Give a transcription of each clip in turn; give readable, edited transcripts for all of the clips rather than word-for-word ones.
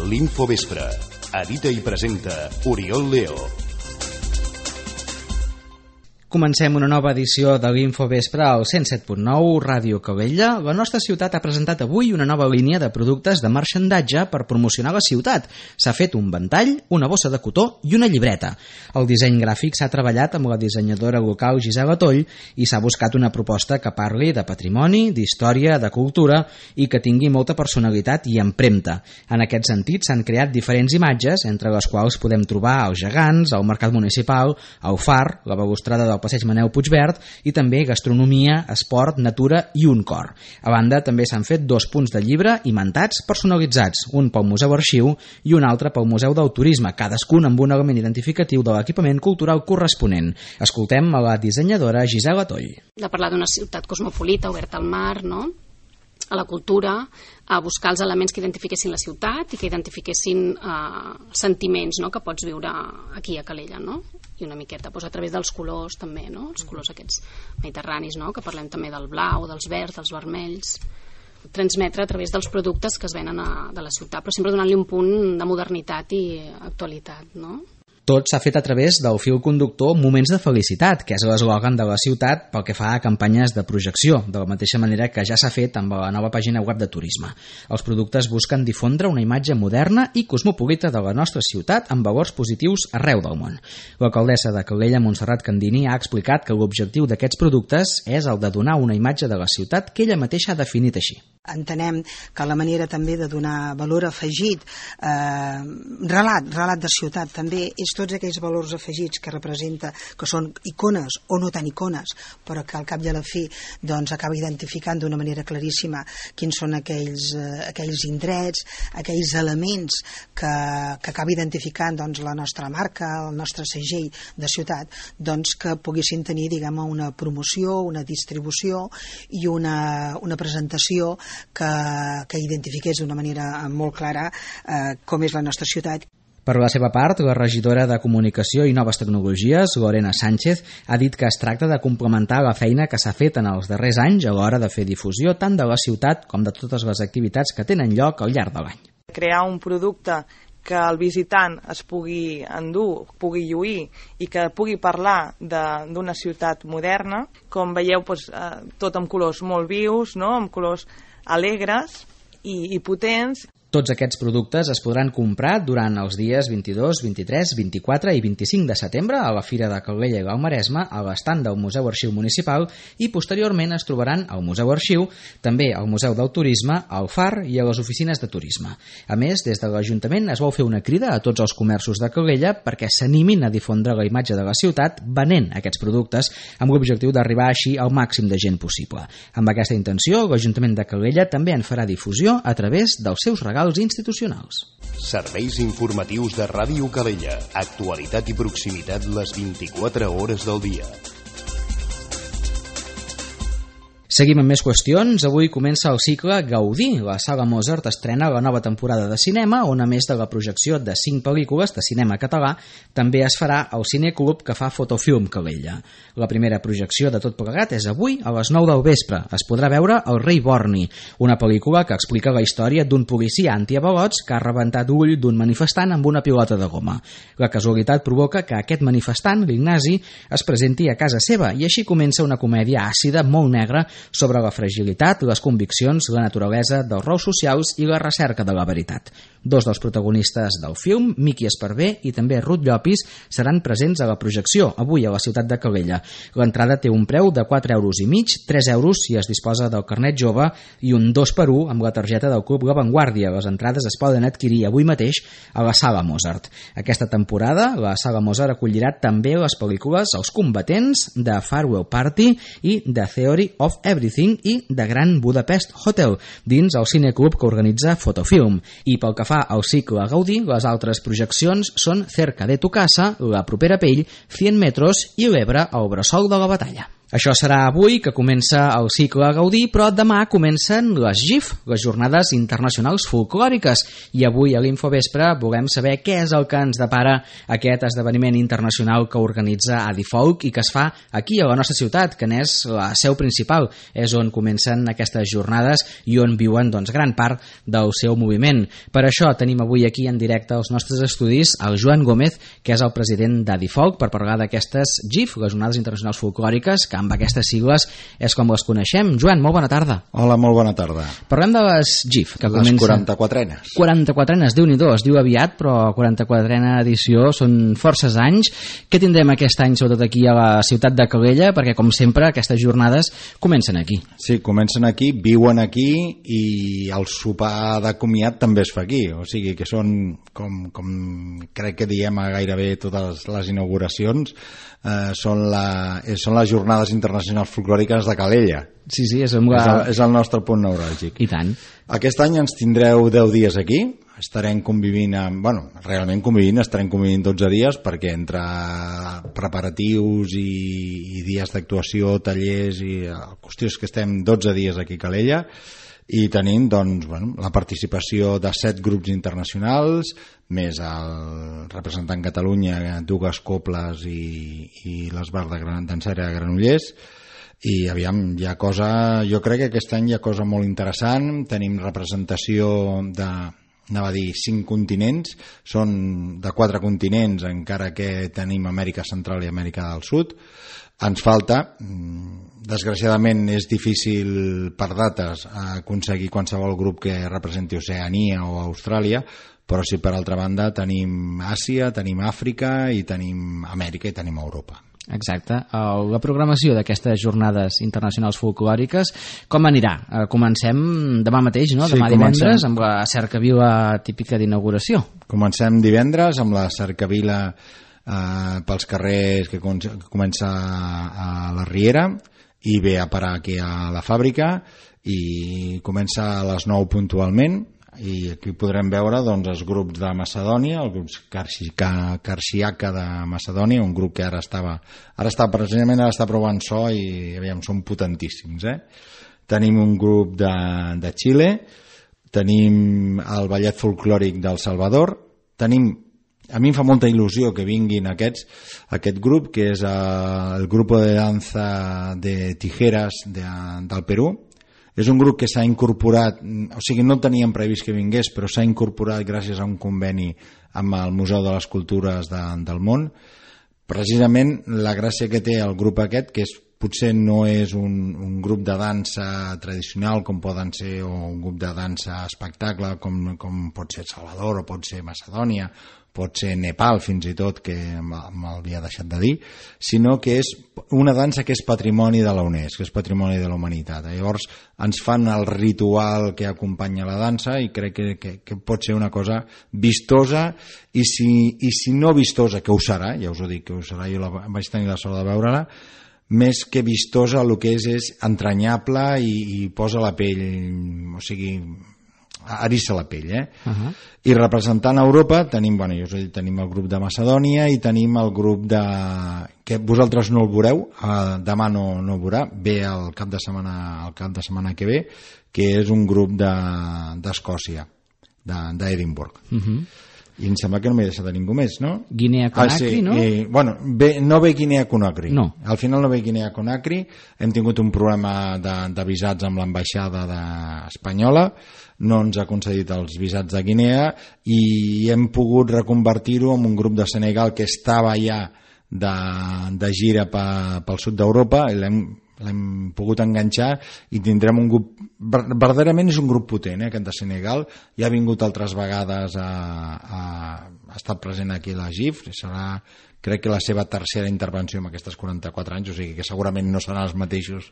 L'Infovespre. Edita i presenta Oriol Leo. Comencem una nova edició de l'Infovespre al 107.9 Ràdio Calella. La nostra ciutat ha presentat avui una nova línia de productes de marxandatge per promocionar la ciutat. S'ha fet un ventall, una bossa de cotó i una llibreta. El disseny gràfic s'ha treballat amb la dissenyadora local Gisela Toll i s'ha buscat una proposta que parli de patrimoni, d'història, de cultura i que tingui molta personalitat i empremta. En aquest sentit s'han creat diferents imatges, entre les quals podem trobar els gegants, el mercat municipal, el far, la balustrada del passeig Manel Puigverd i també gastronomia, esport, natura i un cor. A banda, també s'han fet 2 punts de llibre imantats personalitzats, un pel Museu Arxiu i un altre pel Museu del Turisme, cadascun amb un element identificatiu de l'equipament cultural corresponent. Escoltem a la dissenyadora Gisela Toll. De parlar d'una ciutat cosmopolita, oberta al mar, no?, a la cultura, a buscar els elements que identifiquessin la ciutat i que identifiquessin sentiments, no?, que pots viure aquí a Calella, no? I una miqueta a través dels colors també, no?, els colors aquests mediterranis, no?, que parlem també del blau, dels verds, dels vermells, transmetre a través dels productes que es venen de la ciutat, però sempre donant-li un punt de modernitat i actualitat, no? Tot s'ha fet a través del fil conductor Moments de Felicitat, que és l'eslògan de la ciutat pel que fa a campanyes de projecció, de la mateixa manera que ja s'ha fet amb la nova pàgina web de turisme. Els productes busquen difondre una imatge moderna i cosmopolita de la nostra ciutat amb valors positius arreu del món. L'alcaldessa de Calella, Montserrat Candini, ha explicat que l'objectiu d'aquests productes és el de donar una imatge de la ciutat que ella mateixa ha definit així. Entenem que la manera també de donar valor afegit, relat de ciutat també, és tots aquells valors afegits que representa, que són icones o no tan icones, però que al cap i a la fi doncs, acaba identificant d'una manera claríssima quins són aquells indrets, aquells elements que acaba identificant doncs, la nostra marca, el nostre segell de ciutat, doncs, que poguessin tenir una promoció, una distribució i una presentació que identifiqués d'una manera molt clara com és la nostra ciutat. Per la seva part, la regidora de Comunicació i Noves Tecnologies, Lorena Sánchez, ha dit que es tracta de complementar la feina que s'ha fet en els darrers anys a l'hora de fer difusió tant de la ciutat com de totes les activitats que tenen lloc al llarg de l'any. Crear un producte que el visitant es pugui endur, pugui lluir i que pugui parlar d'una ciutat moderna. Com veieu, tot amb colors molt vius, no?, amb colors alegres i potents. Tots aquests productes es podran comprar durant els dies 22, 23, 24 i 25 de setembre a la Fira de Calella i l'Alt Maresme, a l'estand del Museu Arxiu Municipal i posteriorment es trobaran al Museu Arxiu, també al Museu del Turisme, al FAR i a les oficines de turisme. A més, des de l'Ajuntament es vol fer una crida a tots els comerços de Calella perquè s'animin a difondre la imatge de la ciutat venent aquests productes amb l'objectiu d'arribar així al màxim de gent possible. Amb aquesta intenció, l'Ajuntament de Calella també en farà difusió a través dels seus regals institucionals. Serveis informatius de Ràdio Calella. Actualitat i proximitat les 24 hores del dia. Seguim amb més qüestions. Avui comença el cicle Gaudí. La Sala Mozart estrena la nova temporada de cinema, on a més de la projecció de 5 pel·lícules de cinema català, també es farà el cineclub que fa Fotofilm Calella. La primera projecció de tot plegat és avui a les 9 del vespre. Es podrà veure El rei Borni, una pel·lícula que explica la història d'un policia antiavalots que ha rebentat l'ull d'un manifestant amb una pilota de goma. La casualitat provoca que aquest manifestant, l'Ignasi, es presenti a casa seva i així comença una comèdia àcida molt negra sobre la fragilitat, les conviccions, la naturalesa dels rols socials i la recerca de la veritat. 2 dels protagonistes del film, Miqui Esparver i també Ruth Llopis, seran presents a la projecció, avui a la ciutat de Calella. L'entrada té un preu de 4,5 €, 3 € si es disposa del carnet jove i un 2x1 amb la targeta del Club La Vanguardia. Les entrades es poden adquirir avui mateix a la Sala Mozart. Aquesta temporada, la Sala Mozart acollirà també les pel·lícules Els combatents, de Farewell Party i The Theory of Everything i The Grand Budapest Hotel, dins el cineclub que organitza Fotofilm. I pel que fa al cicle Gaudí, les altres projeccions són Cerca de tu casa, La propera pell, 100 metros i l'Ebre al bressol de la batalla. Això serà avui, que comença el cicle Gaudí, però demà comencen les GIF, les Jornades Internacionals Folclòriques, i avui a l'Infovespre volem saber què és el que ens depara aquest esdeveniment internacional que organitza Adifolk i que es fa aquí a la nostra ciutat, que n'és la seu principal, és on comencen aquestes jornades i on viuen gran part del seu moviment. Per això tenim avui aquí en directe als nostres estudis el Joan Gómez, que és el president d'Adifolk, per parlar d'aquestes GIF, les Jornades Internacionals Folclòriques, que amb aquestes sigles és com les coneixem. Joan, molt bona tarda. Hola, molt bona tarda. Parlem de les GIF, que les comencen... 44enes. 44enes, Déu-n'hi-do, es diu aviat, però 44ena edició són forces anys. Què tindrem aquest any, sobretot aquí a la ciutat de Calella? Perquè, com sempre, aquestes jornades comencen aquí. Sí, comencen aquí, viuen aquí i el sopar de comiat també es fa aquí. O sigui que són, com crec que diem a gairebé totes les inauguracions, són les Jornades Internacionals Folclòriques de Calella. Sí, és el nostre punt neuràlgic. I tant. Aquest any ens tindreu 10 dies aquí, estarem convivint realment convivint, estarem convivint 12 dies, perquè entre preparatius i dies d'actuació, tallers i qüestions que estem 12 dies aquí a Calella, i tenim la participació de 7 grups internacionals, més el representant Catalunya, dues cobles i l'Esbar de Dansera de Granollers, i aviam, hi ha cosa, jo crec que aquest any hi ha cosa molt interessant. Tenim representació anava a dir 5 continents, són de 4 continents, encara que tenim Amèrica Central i Amèrica del Sud. Ens falta, desgraciadament és difícil per dates aconseguir qualsevol grup que representi Oceania o Austràlia, però sí, per altra banda tenim Àsia, tenim Àfrica i tenim Amèrica i tenim Europa. Exacte. La programació d'aquestes jornades internacionals folclòriques, com anirà? Comencem demà mateix, no? Demà divendres, amb la cercavila típica d'inauguració. Comencem divendres amb la cercavila pels carrers que comença a la Riera i ve a parar aquí a la fàbrica, i comença a les 9 puntualment, i aquí podrem veure els grups de Macedònia, el grup Karsiaka de Macedònia, un grup que ara està provant so i aviam, són potentíssims. Tenim un grup de Xile, tenim el ballet folclòric del Salvador, a mi em fa molta il·lusió que vinguin aquest grup, que és el grup de danza de tijeras del Perú. És un grup que s'ha incorporat, o sigui, no teníem previst que vingués, però s'ha incorporat gràcies a un conveni amb el Museu de les Cultures del Món. Precisament la gràcia que té el grup aquest, que potser no és un grup de dansa tradicional com poden ser, o un grup de dansa espectacle com pot ser Salvador o pot ser Macedònia, pot ser Nepal fins i tot, que m'havia deixat de dir, sinó que és una dansa que és patrimoni de la UNESCO, que és patrimoni de la humanitat. Llavors ens fan el ritual que acompanya la dansa, i crec que pot ser una cosa vistosa, i si no vistosa, que ho serà, ja us ho dic que ho serà, jo vaig tenir la sort de veure-la, més que vistosa el que és entranyable i posa la pell, o sigui, eriça la pell, I representant Europa tenim, tenim el grup de Macedònia i tenim el grup que vosaltres no el veureu, demà no el veurà, ve el cap de setmana que ve, que és un grup d'Escòcia, d'Edimburg. I em sembla que no m'he deixat de ningú més, no? Guinea-Conakry, no? No ve Guinea-Conakry. No. Al final no ve Guinea-Conakry. Hem tingut un problema de visats amb l'ambaixada espanyola, no ens ha concedit els visats de Guinea, i hem pogut reconvertir-ho en un grup de Senegal que estava ja de gira pel sud d'Europa, i l'hem pogut enganxar, i tindrem un grup, verdaderament és un grup potent, aquest de Senegal, ja ha vingut altres vegades, ha estat present aquí a la GIF, serà, crec que la seva tercera intervenció en aquestes 44 anys, o sigui que segurament no seran els mateixos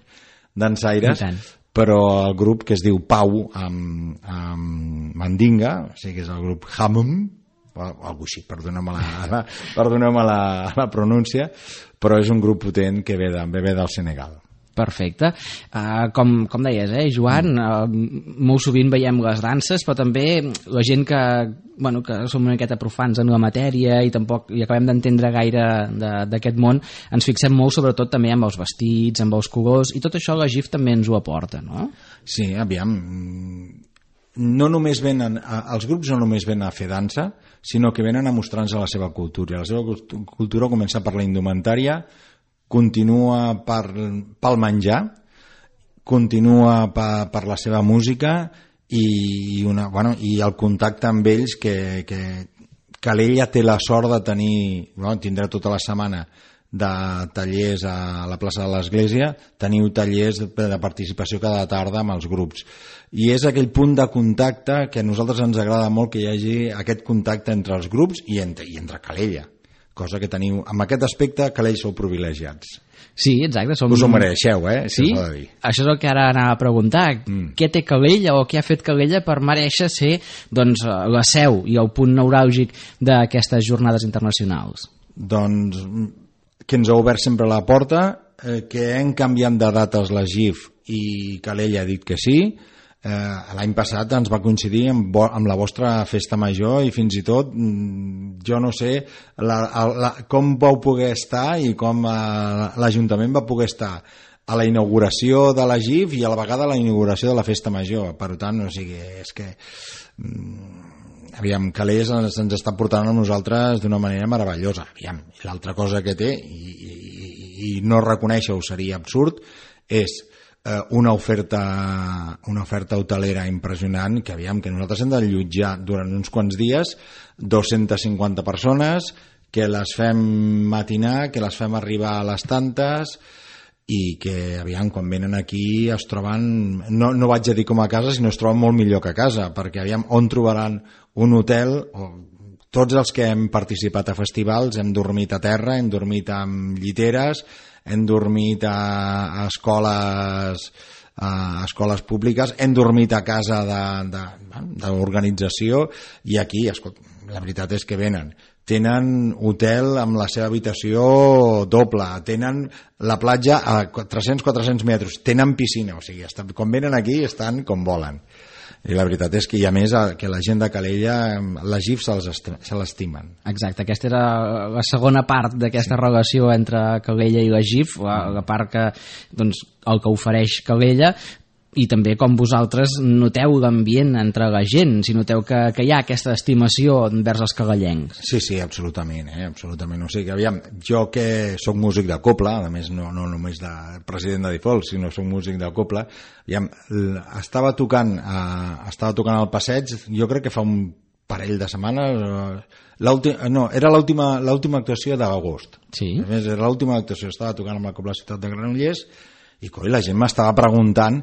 dansaires, però el grup, que es diu Pau amb Mandinga, o sigui que és el grup Hamum, o alguna així, perdoneu-me la pronúncia, però és un grup potent que ve del Senegal. Perfecte. Com deies, Joan, molt sovint veiem les danses, però també la gent que som una miqueta profans en la matèria i tampoc hi acabem d'entendre gaire d'aquest món, ens fixem molt sobretot també amb els vestits, amb els colors, i tot això la GIF també ens ho aporta, no? Sí, aviam, no només venen, els grups no només venen a fer dansa, sinó que venen a mostrar-nos la seva cultura. La seva cultura comença per la indumentària, continua pel menjar, continua per la seva música i el contacte amb ells que Calella té la sort de tenir, tindrà tota la setmana de tallers a la plaça de l'Església, teniu tallers de participació cada tarda amb els grups. I és aquell punt de contacte que a nosaltres ens agrada molt que hi hagi aquest contacte entre els grups i entre Calella. Cosa que teniu, amb aquest aspecte, Calella sou privilegiats. Sí, exacte. Us ho mereixeu, Sí? Això és el que ara anava a preguntar. Què té Calella o què ha fet Calella per mereixer ser la seu i el punt neuràlgic d'aquestes jornades internacionals? Doncs que ens ha obert sempre la porta, que hem canviat de dates la GIF i Calella ha dit que sí. L'any passat ens va coincidir amb la vostra festa major i fins i tot jo no sé com vau poder estar i com l'Ajuntament va poder estar a la inauguració de la GIF i a la vegada a la inauguració de la festa major. Per tant, és que aviam, Calés ens està portant a nosaltres d'una manera meravellosa. Aviam, l'altra cosa que té i no reconèixer-ho seria absurd és una oferta hotelera impressionant que nosaltres hem d'allotjar durant uns quants dies 250 persones que les fem matinar, que les fem arribar a les tantes i que quan venen aquí es troben, no vaig a dir com a casa, sinó es troben molt millor que a casa, perquè on trobaran un hotel. Tots els que hem participat a festivals hem dormit a terra, hem dormit amb lliteres, hem dormit a escoles públiques, hem dormit a casa d'organització i aquí, la veritat és que tenen hotel amb la seva habitació doble, tenen la platja a 300-400 metres, tenen piscina, quan venen aquí estan com volen. I la veritat és que hi ha més que la gent de Calella, la GIF se l'estimen. Exacte, aquesta era la segona part d'aquesta relació entre Calella i la GIF, la part que, el que ofereix Calella, i també com vosaltres noteu l'ambient entre la gent, si noteu que hi ha aquesta estimació envers els calellencs. Sí, absolutament, absolutament. O sigui que, jo que soc músic de cobla, a més no només de president de Difols, sinó soc músic de cobla, estava tocant al passeig, jo crec que fa un parell de setmanes, era l'última actuació d'agost. Sí. A més, era l'última actuació, estava tocant amb la Cobla Ciutat de Granollers i la gent m'estava preguntant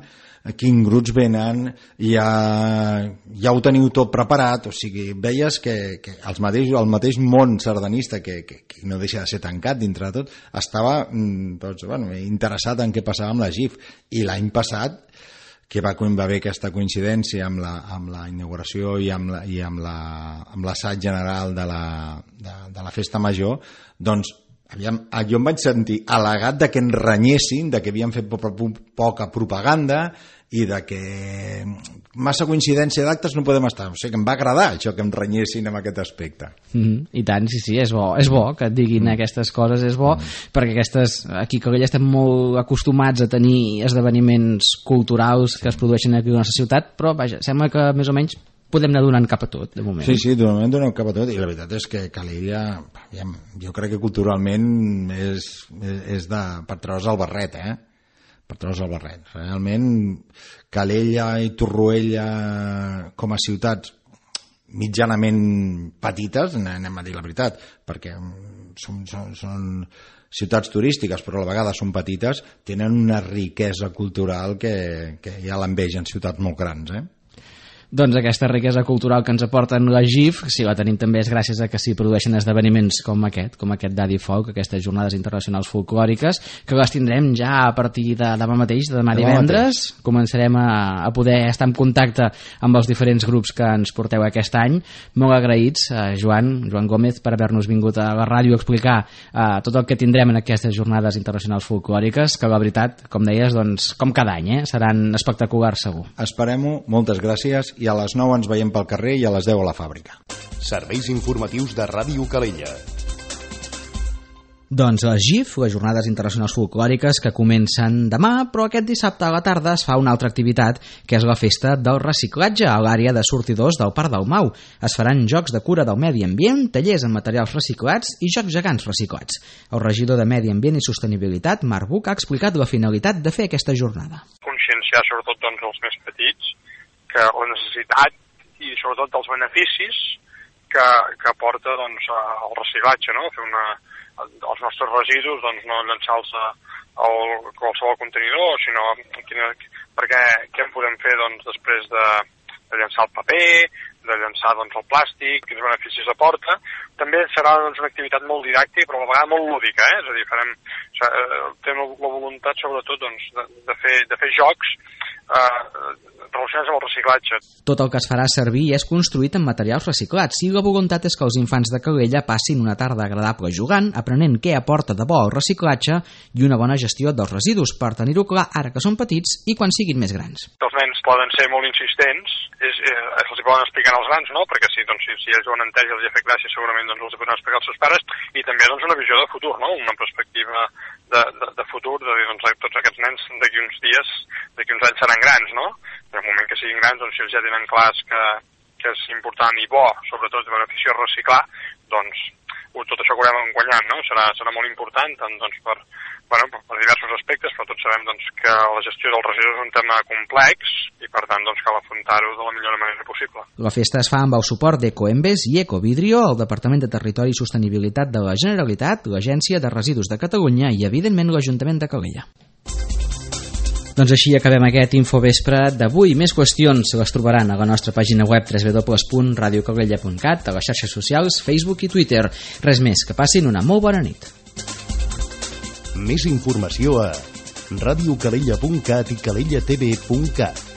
quins grups venen, ja ho teniu tot preparat, o sigui, veies que el mateix món sardanista, que no deixa de ser tancat dintre de tot, estava interessat en què passava amb la GIF. I l'any passat, que va haver aquesta coincidència amb la inauguració i amb l'assaig general de la festa major, jo em vaig sentir al·legat que ens renyessin, que havien fet poca propaganda i que massa coincidència d'actes no podem estar. O sigui que em va agradar això, que em renyessin amb aquest aspecte. I tant, sí, és bo que et diguin aquestes coses, és bo, perquè aquí a Calella estem molt acostumats a tenir esdeveniments culturals que es produeixen aquí a la nostra ciutat, però vaja, sembla que més o menys podem anar donant cap a tot, de moment. Sí, de moment donem cap a tot, i la veritat és que Calella, jo crec que culturalment és per treure's el barret, per treure's el barret. Realment, Calella i Torroella com a ciutats mitjanament petites, anem a dir la veritat, perquè són ciutats turístiques, però a la vegada són petites, tenen una riquesa cultural que ja l'envegen ciutats molt grans, Doncs aquesta riquesa cultural que ens aporten la GIF, si la tenim també és gràcies a que s'hi produeixen esdeveniments com aquest Daddy Folk, aquestes jornades internacionals folclòriques, que les tindrem ja a partir de demà mateix, de demà divendres. Començarem a poder estar en contacte amb els diferents grups que ens porteu aquest any. Molt agraïts, Joan Gómez, per haver-nos vingut a la ràdio a explicar tot el que tindrem en aquestes jornades internacionals folclòriques, que la veritat, com deies, doncs, com cada any, seran espectaculars segur. Esperem-ho, moltes gràcies, i a les 9 ens veiem pel carrer i a les 10 a la fàbrica. Serveis informatius de Ràdio Calella. Doncs les GIF, les Jornades Internacionals Folclòriques, que comencen demà, però aquest dissabte a la tarda es fa una altra activitat, que és la festa del reciclatge a l'àrea de sortidors del Parc del Mau. Es faran jocs de cura del medi ambient, tallers amb materials reciclats i jocs gegants reciclats. El regidor de Medi Ambient i Sostenibilitat, Marc Buch, ha explicat la finalitat de fer aquesta jornada. Conscienciar sobretot els més petits que la necessitat i sobretot dels beneficis que aporta el reciclatge, no? Fer els nostres residus no llançar-los a qualsevol contenidor, sinó perquè què en podem fer després de llançar el paper, de llançar el plàstic, quins beneficis aporta. També serà una activitat molt didàctica, però a la vegada molt lúdica, és a dir, tenim la voluntat sobretot de fer jocs relacionats amb el reciclatge. Tot el que es farà servir és construït amb materials reciclats i la voluntat és que els infants de Calella passin una tarda agradable jugant, aprenent què aporta de bo el reciclatge i una bona gestió dels residus, per tenir-ho clar ara que són petits i quan siguin més grans. Els nens poden ser molt insistents, els poden explicar als grans, no? Perquè si ells ho han entès i els ha fet gràcia, segurament els ho poden explicar als seus pares, i també una visió de futur, no? Una perspectiva de futur, de dir, tots aquests nens d'aquí uns dies, d'aquí uns anys seran grans, no? En el moment que siguin grans, si ells ja tenen clars que és important i bo, sobretot de beneficiós reciclar, tot això que haurem guanyat, no? Serà molt important, tant per diversos aspectes, però tots sabem que la gestió dels residus és un tema complex i per tant cal afrontar-ho de la millor manera possible. La festa es fa amb el suport d'Ecoembes i Ecovidrio, el Departament de Territori i Sostenibilitat de la Generalitat, l'Agència de Residus de Catalunya i evidentment l'Ajuntament de Calella. Doncs així acabem aquest Infovespre d'avui. Més qüestions les trobaran a la nostra pàgina web www.radiocalella.cat, a les xarxes socials, Facebook i Twitter. Res més, que passin una molt bona nit. Més informació a radiocalella.cat i calellatv.cat.